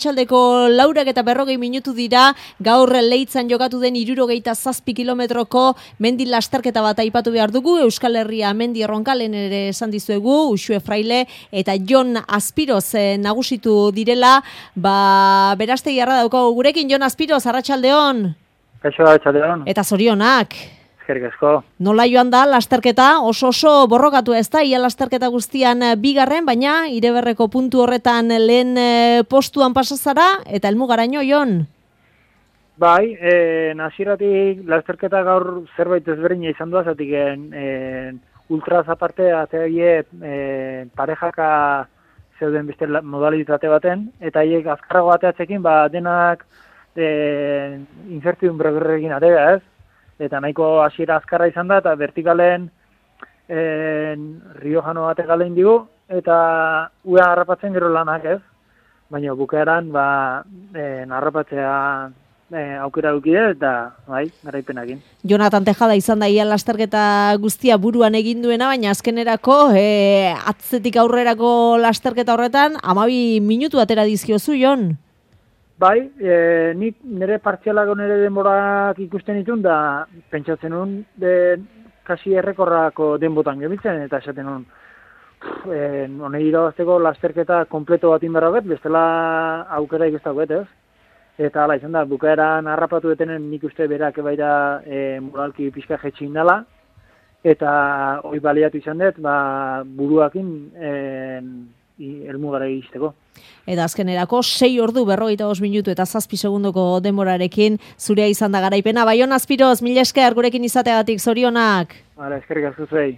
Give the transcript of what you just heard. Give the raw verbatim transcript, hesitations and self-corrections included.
Txaldeko laurak eta berrogei minutu dira, gaur Leitzan jokatu den hirurogeita zazpi kilometroko mendi lasterketa bat aipatu behar dugu, Euskal Herria mendi erronkalen ere esan dizuegu, Uxue Fraile eta Jon Azpiroz eh, nagusitu direla, ba, beraztegi arra daukagu gurekin, Jon Azpiroz, arratsaldeon. Kaixo, arratsaldeon. Eta zorionak. Eskerrik asko. Nola joan da lasterketa, oso oso borrokatu ez da, ia lasterketa guztian bigarren, baina Ireberreko puntu horretan lehen postuan pasazara, eta helmugaraino, Jon? Bai, e, naziratik lasterketa gaur zerbait ezberdina izan du, zatik e, ultraz aparte, ateaie e, parejaka zeuden beste modalitate baten, eta haiek azkarrago ateatzekin, ba, denak e, incertidumbre berrekin atea, ez? Eta nahiko hasiera azkarra izan da, eta vertikalen en, riojano bate galein digu, eta ua harrapatzen gero lanak ez, baina bukaeran ba, en, harrapatzea e, aukera dukide, eta bai, garaipenakin. Jonatan Tejada izan da ia lasterketa guztia buruan egin duena, baina azkenerako e, atzetik aurrerako lasterketa horretan, hamabi minutu atera dizkiozu, Jon? Bai, e, nik nire partzialako nire denborak ikusten ditun, da pentsatzen nun, de, kasi errekorrako denbotan gebitzen, eta esaten nun, honei irabazteko lasterketa kompleto bat inberra bet, bestela aukera ikustau bet, ez? Eta ala, izan da, bukaeran harrapatu detenen nik uste berak ebaira e, moralki pixka jetxin dela, eta hoi baliatu izan dut, ba, buruakin e, helmugara iristeko. Eta azkenerako sei ordu berrogeita bost minutu eta zazpi segundoko denborarekin zurea izan da garaipena. Bai, Jon Azpiroz, mila esker gurekin izateagatik, zorionak. Hala, eskerrik asko zuei.